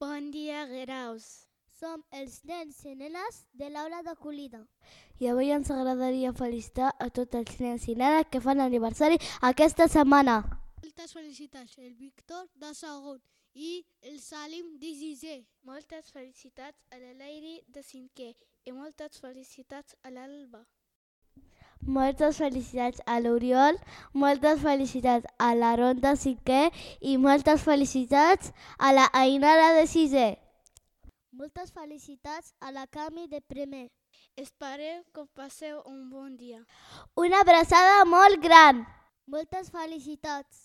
Bon dia, graus. Som els nens i nenes de l'aula d'acollida. I avui ens agradaria felicitar a tots els nens i nenes que fan aniversari aquesta setmana. Moltes felicitats el Víctor de segon i el Salim de sisè. Moltes felicitats a la Leiri de cinquè i moltes felicitats a l'Alba. Moltes felicitats a l'Oriol, moltes felicitats a l'Aaron de cinquè i moltes felicitats a la Ainara de sisè. Moltes felicitats a la Cami de primer. Esperem que passeu un bon dia. Una abraçada molt gran! Moltes felicitats!